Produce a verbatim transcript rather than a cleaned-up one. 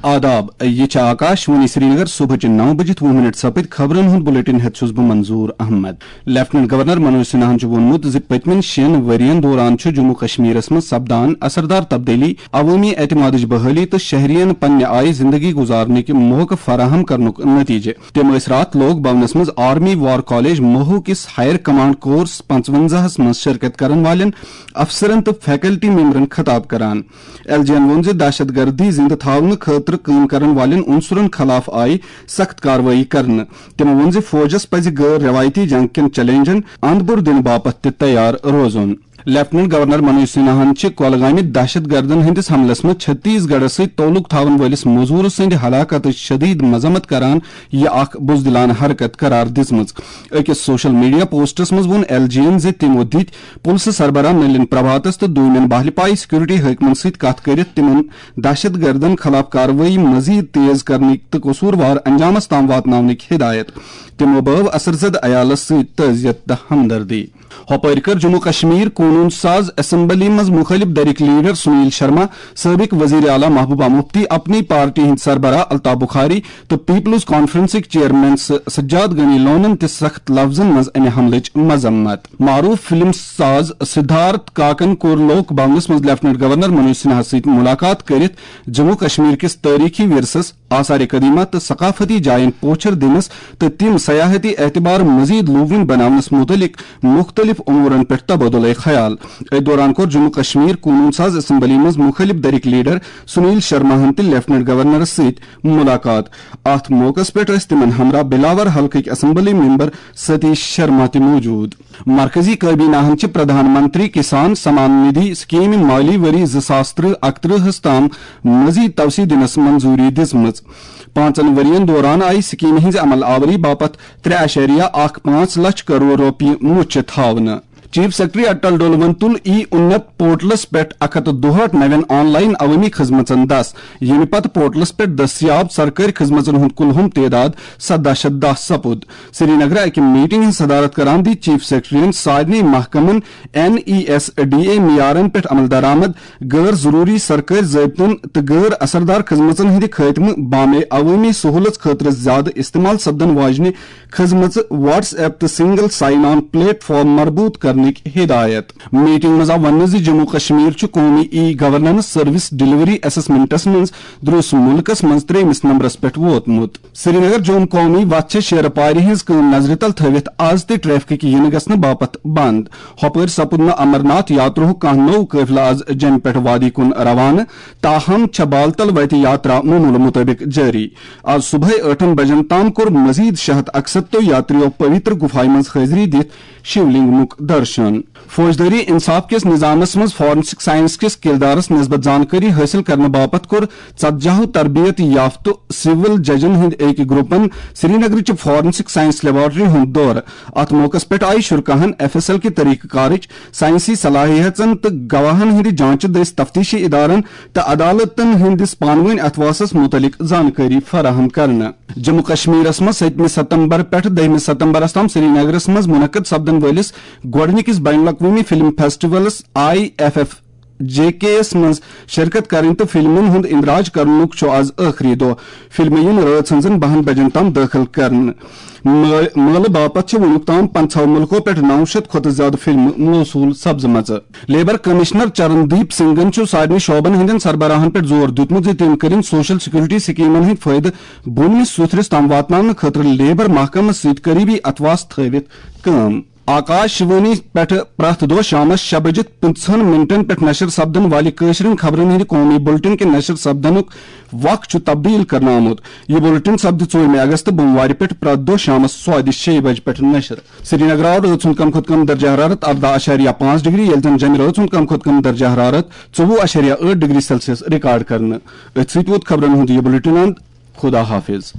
آداب، یہِ چھِ آکاش وانی سرینگر۔ صبحٕچہِ نَو بجِتھ وُہ منٹ سپٕدۍ۔ خبرن ہُنٛد بلیٹن ہٮ۪تھ چھُس بہٕ منظور احمد۔ لیفٹننٹ گورنر منوج سنہاہن چھُ ووٚنمُت زِ پٔتمٮ۪ن شٮ۪ن ؤرین دوران چھُ جموں کشمیرس منٛز سپدان اثردار تبدیلی، عوٲمی اعتمادٕچ بحٲلی تہٕ شہرین پننہِ آیہِ زندگی گُزارنٕکۍ موقعہٕ فراہم کرنُک نتیجہٕ۔ تِم ٲسۍ راتھ لوک بھونس منٛز آرمی وار کالج موہو کِس ہائر کمانڈ کورس پانٛژوَنزاہس منٛز شرکت کرن والٮ۪ن افسرن تہٕ فیکلٹی ممبرن خطاب کران۔ ایل جی ین ووٚن زِ دہشت گردی زندٕ تھاونہٕ خٲطرٕ کٲم کرن والٮ۪ن عنصرن خلاف آیہِ سخت کاروٲیی کرنہٕ۔ تِمو ووٚن زِ فوجس پزِ غٲر روایتی جنگ کٮ۪ن چیلنجن اند پور دِنہٕ باپتھ تہِ تیار روزُن۔ لیفٹننٹ گورنر منوج سنہاہن چھِ کۄلگامہِ دہشت گردن ہٕنٛدِس حملس منٛز چھتیس گڑھس سۭتۍ تعلق تھاون وٲلِس موزوٗرٕ سٕنٛدِ ہلاکتٕچ شدید مذمت کران یہِ اکھ بزدلانہٕ حرکت قرار دِژمٕژ۔ أکِس سوشل میڈیا پوسٹس منٛز ووٚن ایل جی ین زِ تِمو دِتۍ پُلسہٕ سربراہ نلین پربھاتس تہٕ دویمٮ۪ن باہلپاے سیکورٹی حٲکمن سۭتۍ کتھ کٔرِتھ تِمن دہشت گردن خلاف کاروٲیی مزید تیز کرنٕکۍ تہٕ قصوٗروار انجامس تام واتناونٕکۍ ہدایت۔ تِمو بٲو اثر زدٕ عیالس سۭتۍ تعزیت تہٕ ہمدردی۔ ہۄپٲرۍ کٔر جموں کشمیر قونوٗن ساز اسمبلی منٛز مخٲلف دھڑٕکۍ لیڈر سنیل شرما، سٲبق وزیر اعلیٰ محبوبہ مفتی، اپنی پارٹی ہٕنٛدۍ سربراہ الطاف بخاری تہٕ پیپلز کانفرنسٕکۍ چیئرمین س-، سجاد غنی لونن تہِ سخت لفظن منٛز امہِ حملٕچ مذمت۔ معروف فلم ساز سدھارتھ کاکن کوٚر لوک بھونس منٛز لیفٹننٹ گورنر منوج سنہاہس سۭتۍ ملاقات کٔرِتھ جموں کشمیر کِس تٲریخی ورثس، آثار قدیمہ تہٕ ثقافتی جاین پوچھر دِنس تہٕ تِم سیاحتی اعتبار مزید لوٗبوٕنۍ بناونس متعلق مختلف امورن پٮ۪ٹھ تبادلہ خیال۔ أتھۍ دوران کوٚر جموں کشمیر قونوٗن ساز اسمبلی منٛز مخٲلف دھڑٕکۍ لیڈر سنیل شرماہن تہٕ لیفٹننٹ گورنرس سۭتۍ ملاقات۔ اتھ موقعس پٮ۪ٹھ ٲسۍ تِمن ہمراہ بلاور حلقٕکۍ اسمبلی ممبر ستیش شرما تہِ موجود۔ مرکزی کابینہ ہن چھِ پردھان منتری کسان سمان ندھی سکیمہِ مالی ؤری زٕ ساس ترٕہ اکترٕہس تام مزید توسیع دِنس منظوری دِژمٕژ۔ پانٛژن ؤرین دوران آیہِ سکیمہِ ہٕنٛزِ عمل آوری باپتھ ترٛےٚ اعشاریہ اکھ پانٛژھ لچھ کرور رۄپیہِ مُچھِ تھاونہٕ۔ چیف سیکرٹری اٹل ڈولون تُل ای انت پورٹلس پٮ۪ٹھ اکھ ہتھ تہٕ دُہٲٹھ نوٮ۪ن آن لائن عوٲمی خدمژن دس، ییٚمہِ پتہٕ پورٹلس پٮ۪ٹھ دٔستیاب سرکٲرۍ خدمژن ہُنٛد کُلہُم تعداد سداہ شیٚتھ دہ سپُد۔ سرینگرٕ اکہِ میٹنگ ہٕنٛز صدارت کران دِتۍ چیف سیکرٹریَن سارنٕے محکمن، N E S D A معیارن پٮ۪ٹھ عمل درآمد، غٲر ضروٗری سرکٲرۍ ضٲبطن تہٕ غٲر اثردار خدمژن ہٕنٛدِ خٲتمہٕ بامے عوٲمی سہوٗلژ خٲطرٕ زیادٕ استعمال سپدن واجنہِ خدمژٕ واٹس ایپ تہٕ single sign on platform مربوط کرنٕکۍ ہدایت۔ میٹنگ منٛز آو وننہٕ زِ جموں کشمیر چھُ قومی e governance service delivery assessments منٛز درٛوس مُلکس منٛز ترٛیٚیمِس نمبرس پٮ۪ٹھ ووتمُت۔ سرینگر جوم قومی وتھ چھےٚ شیرٕ پارِ ہٕنٛز کٲم نظرِ تل تھٲوِتھ از تہِ ٹریفکٕکۍ یِنہٕ گژھنہٕ باپتھ بند۔ ہۄپٲرۍ سپُد نہٕ امرناتھ یاتراہُک کانٛہہ نوٚو قٲفلہٕ از جیٚمہِ پٮ۪ٹھ وادی کُن روانہٕ، تاہم چھےٚ بالتل وتہِ یاترا معموٗلہٕ مُطٲبِق جٲری۔ از صبحٲے ٲٹھن بجن تام کوٚر مزید شےٚ ہتھ اکستو یاتریو پویتر گُفایہِ منٛز حٲضری دِتھ شیو لنگمُک درشن۔ فوجدٲری انصاف کِس نظامس منٛز فارنسک سائنس کِس کردارس نسبت زانکٲری حٲصِل کرنہٕ باپتھ کوٚر ژتجی ہو تربیت یافتہٕ سول ججن ہٕنٛدۍ أکۍ گروپن سرینگرٕچہِ فارنسک سائنس لیبارٹری ہُنٛد دورٕ۔ اتھ موقعس پٮ۪ٹھ آیہِ شرکاہن ایف ایس ایل کہِ طریقہٕ کارٕچ سائنسی صلاحیژن تہٕ گواہن ہٕنٛدِ جانچہٕ دٔسۍ تفتیشی ادارن تہٕ عدالتن ہٕنٛدِس پانہٕ وٲنۍ اتھواسس مُتعلق زانکٲری فراہم کرنہٕ۔ جموں کشمیرس منٛز سٔتمہِ ستمبر پٮ۪ٹھ دٔہمہِ ستمبرس تام سرینگرس منٛز منعقد سپدن وٲلِس گۄڈٕنِکِس بین الاقوٲمی film festivals I F F J K یس منٛز شرکت کرٕنۍ تہٕ فلمن ہُنٛد اندراج کرنُک چھُ از ٲخری دۄہ۔ فلمہٕ یِن رٲژ ہٕنٛزن بَہَن بجن تام دٲخل کرنہٕ۔ مٲ-، مٲلہٕ باپتھ چھِ وُنیُک تام پنٛژاہ مُلکو پٮ۪ٹھ نَو شیٚتھ کھۄتہٕ زیادٕ فلمہٕ موصوٗل سپزمژٕ۔ لیبر کمشنر چرن دیپ سنگھن چھُ سارنٕے شعبن ہٕنٛدٮ۪ن سربراہن پٮ۪ٹھ زور دیُتمُت زِ تِم کٔرِن سوشل سیکورٹی سکیمن ہٕنٛدۍ فٲیدٕ بۄنمِس سُتھرِس تام واتناونہٕ خٲطرٕ لیبر محکمس سۭتۍ قریبی اتھواس تھٲوِتھ کٲم۔ آکاش وانی پٮ۪ٹھٕ پرٛٮ۪تھ دۄہ شامس شےٚ بجہِ پٕنٛژٕہن منٹن پٮ۪ٹھ نشر سپدن والہِ کٲشرٮ۪ن خبرن ہٕنٛدِ قومی بلٹن کہِ نشر سپدنُک وق چھُ تبدیل کرنہٕ آمُت۔ یہِ بلٹن سپدِ ژوٗرمہِ اگست بوموارِ پٮ۪ٹھ پرٛٮ۪تھ دۄہ شامس سوادِ شیٚیہِ بجہِ پٮ۪ٹھ نشر۔ سرینگر آو رٲژ ہُنٛد کم کھۄتہٕ کم درجہ حرارت ارداہ اعشاریہ پانٛژھ ڈگری، ییٚلہِ زن جیٚمہِ رٲژ ہُنٛد کم کھۄتہٕ کم درجہ حرارت ژوٚوُہ اعشاریہ ٲٹھ ڈگری سیلسیس ریکارڈ کرنہٕ۔ أتھۍ سۭتۍ ووت خبرن ہُنٛد یہِ بلٹن اند۔ خدا حافظ۔